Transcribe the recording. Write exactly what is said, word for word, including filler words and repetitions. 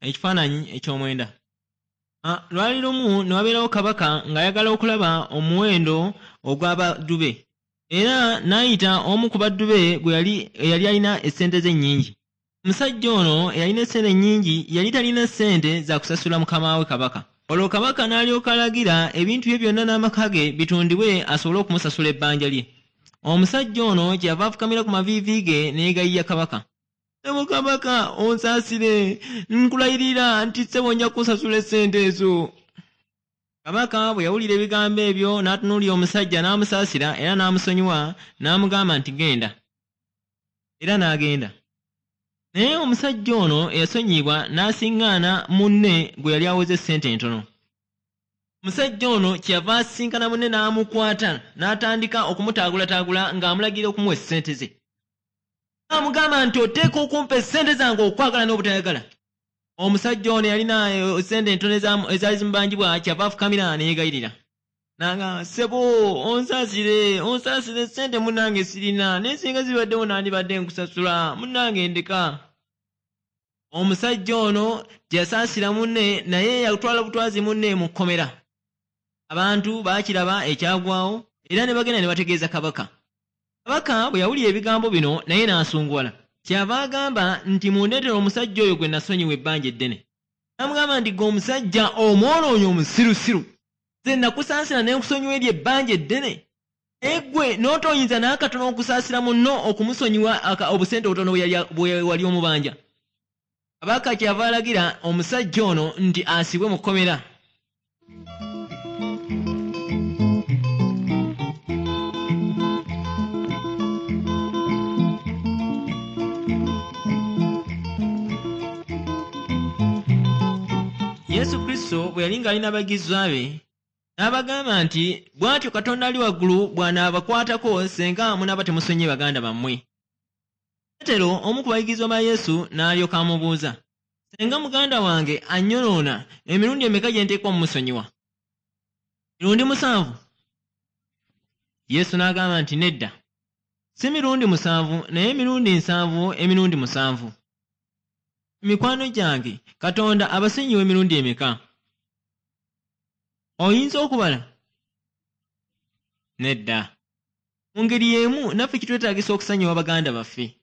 Ekifaananyi eky'omwenda. Lwali lumu ne wabeerawo kabaka ng'ayagala okulaba omuwendo ogw'abaddu be, era n'ayita omu ku baddu be gwe yali eyali alina essente ze ennyingi. Omusajja ono eyalina essente ennyingi yali talina ssente za kusasula mukama we kabaka. Olwo kabaka n'alyoka alagira ebintu bye byonna n'amaka ge bitundibwe asobole okumusasula ebbanja lye. Omusajja ono kyeyava afukamira ku maviivi ge ne yeegayirira kabaka. Ssebo kabaka, onsaasire, nkulayirira nti ssebo nja kukusasula essente ezo. Kabaka bwe yawulira ebigambo ebyo n'atunuulira omusajja n'amusaasira era n'amusonyiwa n'amugamba nti genda. Era n'agenda. Naye omusajja ono eyasonyiyibwa n'asiŋŋaana munne gwe yali aweze essente entono. Omusajja ono kyeyava asisinkana munne n'amukwata n'atandika okumutaagulataagula ng'amulagira okumuwa essente ze. Amugamba nti oteeka okumpa essente zange okwagala n'obutayagala. Omusajja ono yalina essente entono ezaali zimubanjibwa kyava afukamira ne yeegayirira. N'agamba, ssebo onsaasire, onsaasire essente munnange sirina, naye singa zibaddewo nandibadde nkusasula, munnange ndeka. Omusajja ono teyasaasira munne naye yatwala butwazi munne mu kkomera. Abantu baakiraba ekyagwawo era ne bagenda ne bategeeza kabaka. Kabaka bwe yawulira ebigambo bino naye n'asunguwala. Kyava agamba nti mundeetere omusajja oyo gwe nasonyiwa ebbanja eddene. N'amugamba nti ggwe omusajja omwonoonyi omusirusiru, nze nakusaasira ne nkusonyiwa eryo ebbanja eddene, naye ggwe n'otoyinza n'akatono okusaasira munno okumusonyiwa obusente obutono bwe wali omubanja. Kabaka kyava alagira omusajja ono nti asibwe mu kkomera. Yesu Kristo bwe yali ng'alina abayigirizwa be, n'abagamba nti bw'atyo Katonda ali waggulu bw'anaabakwatako singa munaaba temusonyiye baganda bammwe. Peetero omu ku bayigirizwa ba Yesu n'alyoka amubuuza, singa muganda wange annyonoona emirundi emeka gye nteekwa omumusonyiwa? Mirundi musanvu? Yesu n'agamba nti nedda, si mirundi musanvu naye emirundi nsanvu emirundi musanvu. Mikwano gyange, Katonda abasonyiwa emirundi emeka? Oyinza okubala? Nedda. Mu ngeri y'emu naffe kitwetaagisa okusonyiwa baganda baffe.